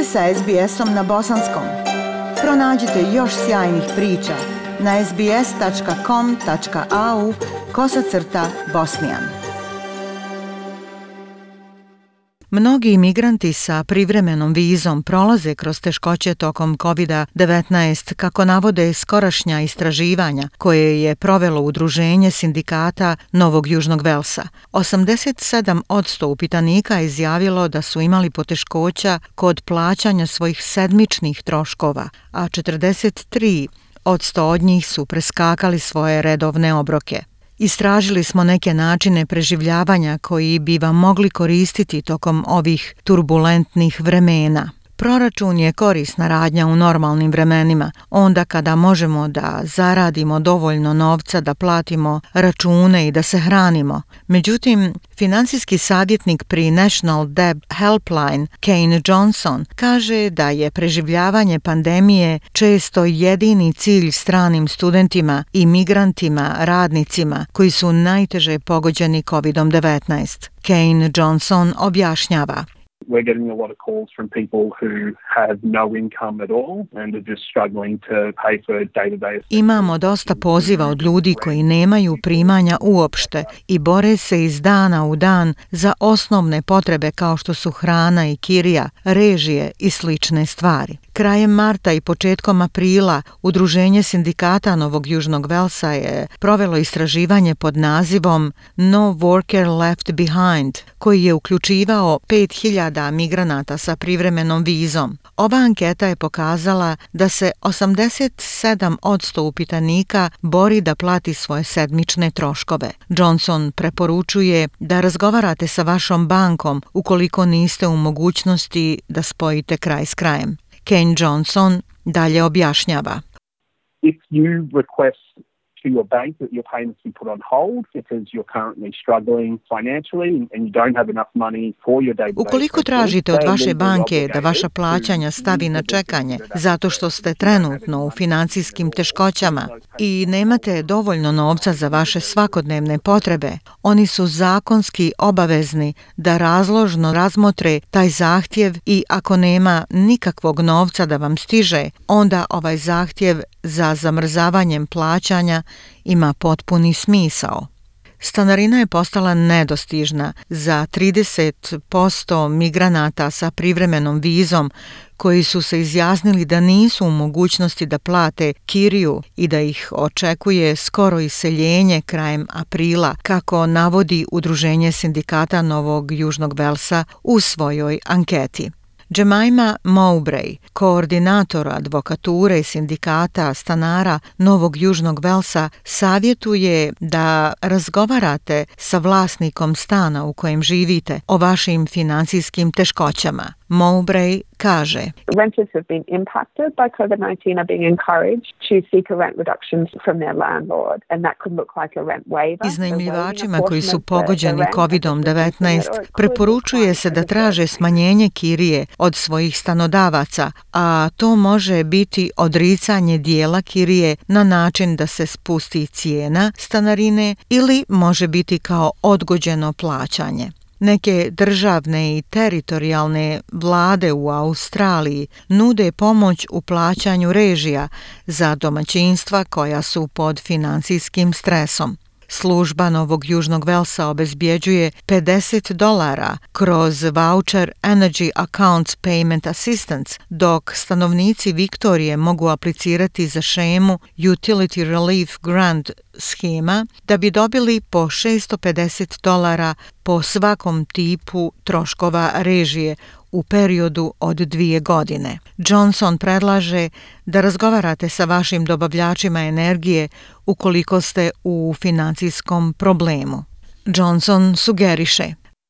ste sa SBS-om na bosanskom. Pronađite još sjajnih priča na sbs.com.au/bosnijan. Mnogi imigranti sa privremenom vizom prolaze kroz teškoće tokom COVID-19, kako navode skorašnja istraživanja koje je provelo Udruženje sindikata Novog Južnog Velsa. 87% upitanika je izjavilo da su imali poteškoća kod plaćanja svojih sedmičnih troškova, a 43% od njih su preskakali svoje redovne obroke. Istražili smo neke načine preživljavanja koji bi vam mogli koristiti tokom ovih turbulentnih vremena. Proračun je korisna radnja u normalnim vremenima, onda kada možemo da zaradimo dovoljno novca da platimo račune i da se hranimo. Međutim, finansijski savjetnik pri National Debt Helpline, Kane Johnson, kaže da je preživljavanje pandemije često jedini cilj stranim studentima, imigrantima, radnicima koji su najteže pogođeni COVID-19. Kane Johnson objašnjava. We're getting a lot of calls from people who have no income at all and are just struggling to pay for day-to-day. Imamo dosta poziva od ljudi koji nemaju primanja uopšte i bore se iz dana u dan za osnovne potrebe kao što su hrana i kirija, režije i slične stvari. Krajem marta i početkom aprila Udruženje sindikata Novog Južnog Velsa je provelo istraživanje pod nazivom No Worker Left Behind, koji je uključivao 5000 migranata sa privremenom vizom. Ova anketa je pokazala da se 87% upitanika bori da plati svoje sedmične troškove. Johnson preporučuje da razgovarate sa vašom bankom ukoliko niste u mogućnosti da spojite kraj s krajem. Ken Johnson dalje objašnjava. If you request to your bank that your payments be put on hold because you're currently struggling financially and you don't have enough money for your day-to-day. Ukoliko tražite od vaše banke da vaša plaćanja stavi na čekanje zato što ste trenutno u financijskim teškoćama i nemate dovoljno novca za vaše svakodnevne potrebe, oni su zakonski obavezni da razložno razmotre taj zahtjev i ako nema nikakvog novca da vam stiže, onda ovaj zahtjev za zamrzavanjem plaćanja ima potpuni smisao. Stanarina je postala nedostižna za 30% migranata sa privremenom vizom koji su se izjasnili da nisu u mogućnosti da plate kiriju i da ih očekuje skoro iseljenje krajem aprila, kako navodi Udruženje sindikata Novog Južnog Velsa u svojoj anketi. Jemima Mowbray, koordinator advokature sindikata stanara Novog Južnog Velsa, savjetuje da razgovarate sa vlasnikom stana u kojem živite o vašim financijskim teškoćama. Mowbray kaže: Renters have been impacted by COVID-19 are being encouraged to seek a rent reduction from their landlord, and that could look like a rent waiver. Iznajmljivačima koji su pogođeni COVID-19 preporučuje se da traže smanjenje kirije od svojih stanodavaca, a to može biti odricanje dijela kirije na način da se spusti cijena stanarine ili može biti kao odgođeno plaćanje. Neke državne i teritorijalne vlade u Australiji nude pomoć u plaćanju režija za domaćinstva koja su pod financijskim stresom. Služba Novog Južnog Velsa obezbjeđuje $50 kroz voucher Energy Accounts Payment Assistance, dok stanovnici Viktorije mogu aplicirati za šemu Utility Relief Grant schema da bi dobili po $650 po svakom tipu troškova režije u periodu od 2 godine. Johnson predlaže da razgovarate sa vašim dobavljačima energije ukoliko ste u financijskom problemu. Johnson sugeriše: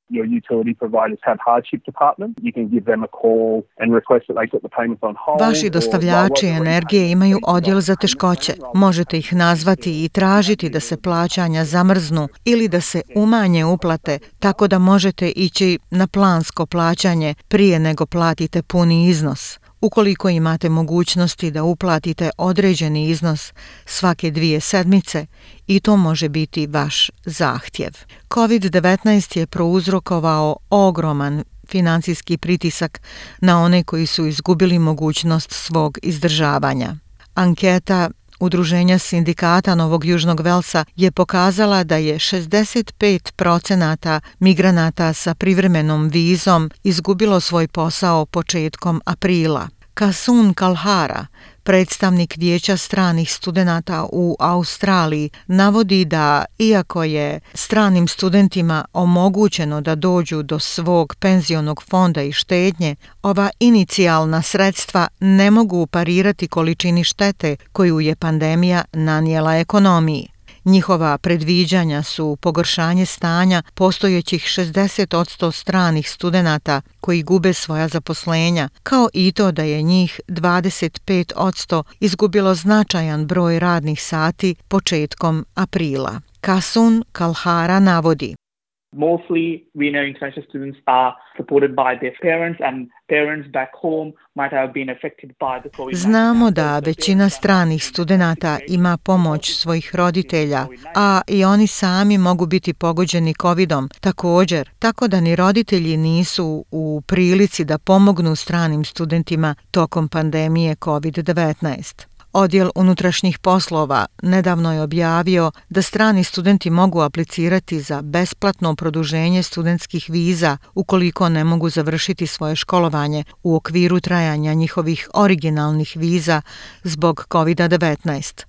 Your utility providers have hardship department. You can give them a call and request that they put the payments on hold. Vaši dostavljači energije imaju odjel za teškoće. Možete ih nazvati i tražiti da se plaćanja zamrznu ili da se umanje uplate, tako da možete ići na plansko plaćanje prije nego platite puni iznos. Ukoliko imate mogućnosti da uplatite određeni iznos svake 2 sedmice, i to može biti vaš zahtjev. COVID-19 je prouzrokovao ogroman financijski pritisak na one koji su izgubili mogućnost svog izdržavanja. Anketa Udruženja sindikata Novog Južnog Velsa je pokazala da je 65% migranata sa privremenom vizom izgubilo svoj posao početkom aprila. Kasun Kalhara, predstavnik Vijeća stranih studenata u Australiji, navodi da iako je stranim studentima omogućeno da dođu do svog penzionog fonda i štednje, ova inicijalna sredstva ne mogu parirati količini štete koju je pandemija nanijela ekonomiji. Njihova predviđanja su pogoršanje stanja postojećih 60% stranih studenata koji gube svoja zaposlenja, kao i to da je njih 25% izgubilo značajan broj radnih sati početkom aprila. Kasun Kalhara navodi: Mostly, we know international students are supported by their parents and parents back home might have been affected by the COVID-19. Znamo da većina stranih studenata ima pomoć svojih roditelja, a i oni sami mogu biti pogođeni COVID-om također, tako da ni roditelji nisu u prilici da pomognu stranim studentima tokom pandemije COVID-19. Odjel unutrašnjih poslova nedavno je objavio da strani studenti mogu aplicirati za besplatno produženje studentskih viza ukoliko ne mogu završiti svoje školovanje u okviru trajanja njihovih originalnih viza zbog COVID-19.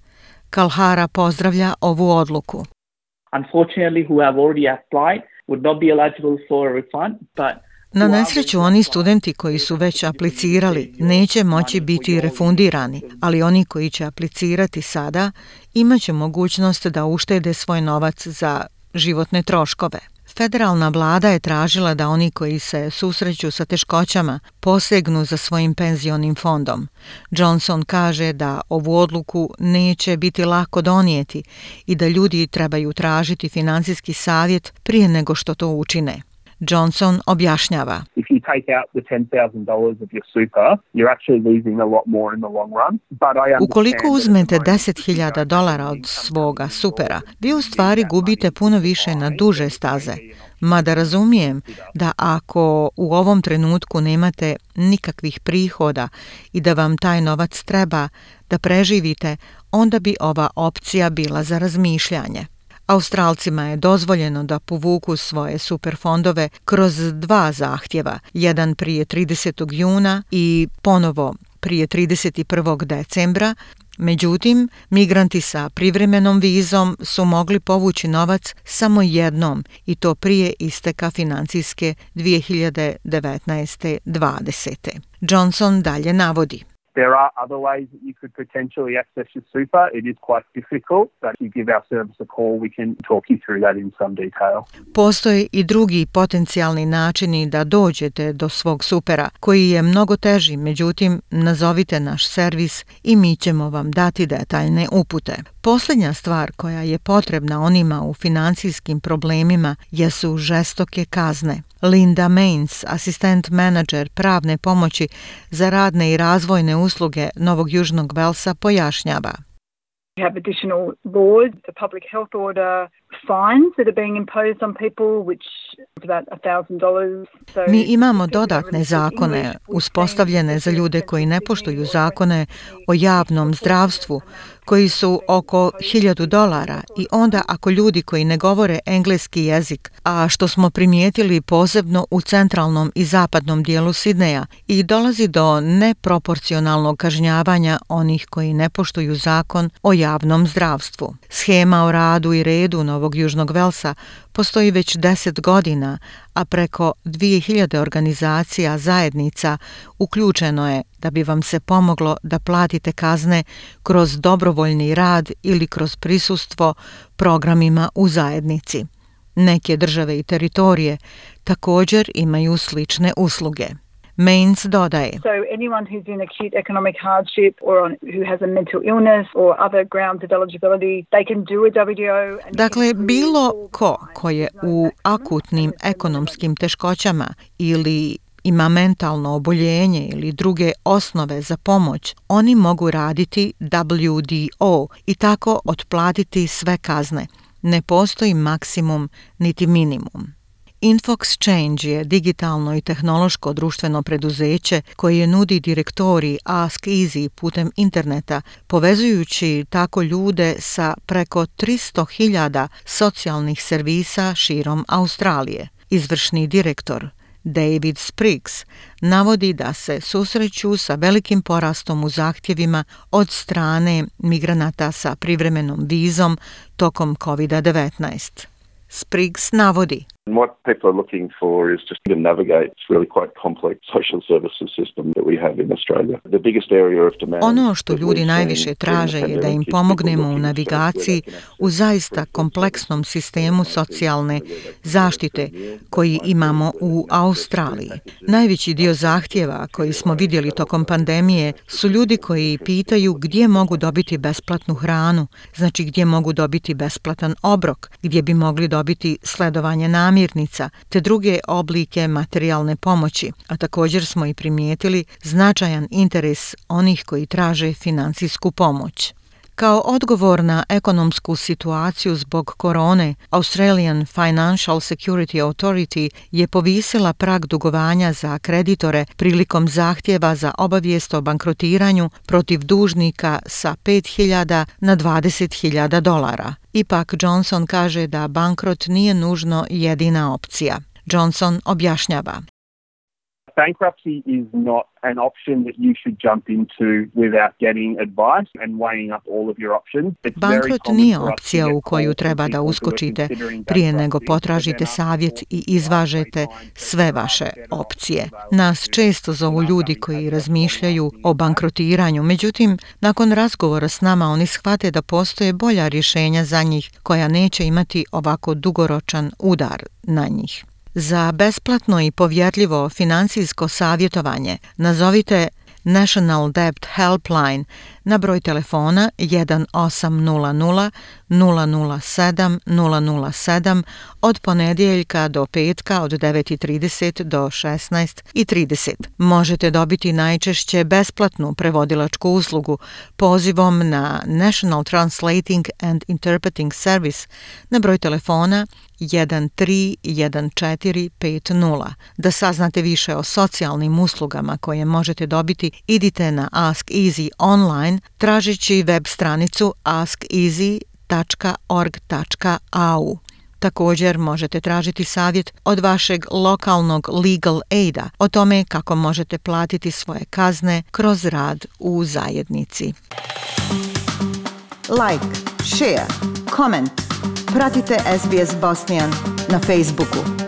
Kalhara pozdravlja ovu odluku. Unfortunately, who have already applied would not be eligible for a refund, but Na nesreću, oni studenti koji su već aplicirali neće moći biti refundirani, ali oni koji će aplicirati sada imaće mogućnost da uštede svoj novac za životne troškove. Federalna vlada je tražila da oni koji se susreću sa teškoćama posegnu za svojim penzionim fondom. Johnson kaže da ovu odluku neće biti lako donijeti i da ljudi trebaju tražiti financijski savjet prije nego što to učine. Johnson objašnjava: If you take out the $10,000 of your super, you're actually losing a lot more in the long run. But I Ukoliko uzmete $10,000 od svoga supera, vi u stvari gubite puno više na duže staze. Mada razumijem da ako u ovom trenutku nemate nikakvih prihoda i da vam taj novac treba da preživite, onda bi ova opcija bila za razmišljanje. Australcima je dozvoljeno da povuku svoje superfondove kroz 2 zahtjeva, jedan prije 30. juna i ponovo prije 31. decembra. Međutim, migranti sa privremenom vizom su mogli povući novac samo jednom i to prije isteka financijske 2019-20. Johnson dalje navodi: There are other ways that you could potentially access your super. It is quite difficult, but if you give our service a call, we can talk you through that in some detail. Postoje i drugi potencijalni načini da dođete do svog supera, koji je mnogo teži, međutim, nazovite naš servis i mi ćemo vam dati detaljne upute. Posljednja stvar koja je potrebna onima u financijskim problemima jesu žestoke kazne. Linda Mains, asistent menadžer pravne pomoći za radne i razvojne usluge Novog Južnog Velsa, pojašnjava: We have additional laws, the public health order fines that are being imposed on people, which is about $1,000. Mi imamo dodatne zakone uspostavljene za ljude koji ne poštuju zakone o javnom zdravstvu, koji su oko $1,000, i onda ako ljudi koji ne govore engleski jezik, a što smo primijetili posebno u centralnom i zapadnom dijelu Sidneja, i dolazi do neproporcionalnog kažnjavanja onih koji ne poštuju zakon o javnom zdravstvu. Schema o radu i redu Novog Južnog Velsa postoji već 10 godina, a preko 2000 organizacija zajednica uključeno je da bi vam se pomoglo da platite kazne kroz dobrovoljni rad ili kroz prisustvo programima u zajednici. Neke države i teritorije također imaju slične usluge. Mains dodaje: So anyone who's in acute economic hardship or who has a mental illness or other grounds of eligibility, they can do a WDO. Dakle, bilo ko je u akutnim ekonomskim teškoćama ili ima mentalno oboljenje ili druge osnove za pomoć, oni mogu raditi WDO i tako otplatiti sve kazne. Ne postoji maksimum niti minimum. InfoXchange je digitalno i tehnološko društveno preduzeće koje nudi direktorij Ask Easy putem interneta, povezujući tako ljude sa preko 300.000 socijalnih servisa širom Australije. Izvršni direktor David Spriggs navodi da se susreću sa velikim porastom u zahtjevima od strane migranata sa privremenom vizom tokom COVID-19. Spriggs navodi: What people are looking for is just to navigate this really quite complex social services system that we have in Australia. The biggest area of demand. Ono što ljudi najviše traže je da im pomognemo u navigaciji u zaista kompleksnom sistemu socijalne zaštite koji imamo u Australiji. Najveći dio zahtjeva koji smo vidjeli tokom pandemije su ljudi koji pitaju gdje mogu dobiti besplatnu hranu, znači gdje mogu dobiti besplatan obrok, gdje bi mogli dobiti sledovanje namirnica te druge oblike materijalne pomoći, a također smo i primijetili značajan interes onih koji traže financijsku pomoć. Kao odgovor na ekonomsku situaciju zbog korone, Australian Financial Security Authority je povisila prag dugovanja za kreditore prilikom zahtjeva za obavijest o bankrotiranju protiv dužnika sa $5,000 na $20,000. Ipak Johnson kaže da bankrot nije nužno jedina opcija. Johnson objašnjava: Bankruptcy is not an option that you should jump into without getting advice and weighing up all of your options. Bankrot nije opcija u koju treba da uskočite prije nego potražite savjet i izvažete sve vaše opcije. Nas često zovu ljudi koji razmišljaju o bankrotiranju, međutim, nakon razgovora s nama oni shvate da postoje bolja rješenja za njih koja neće imati ovako dugoročan udar na njih. Za besplatno i povjerljivo financijsko savjetovanje nazovite National Debt Helpline na broj telefona 1800 007 007 od ponedjeljka do petka od 9:30 do 16:30. Možete dobiti najčešće besplatnu prevodilačku uslugu pozivom na National Translating and Interpreting Service na broj telefona 131450. Da saznate više o socijalnim uslugama koje možete dobiti, idite na Ask Easy online tražeći web stranicu askeasy.org.au. Također možete tražiti savjet od vašeg lokalnog legal aida o tome kako možete platiti svoje kazne kroz rad u zajednici. Like, share, comment. Pratite SBS Bosnian na Facebooku.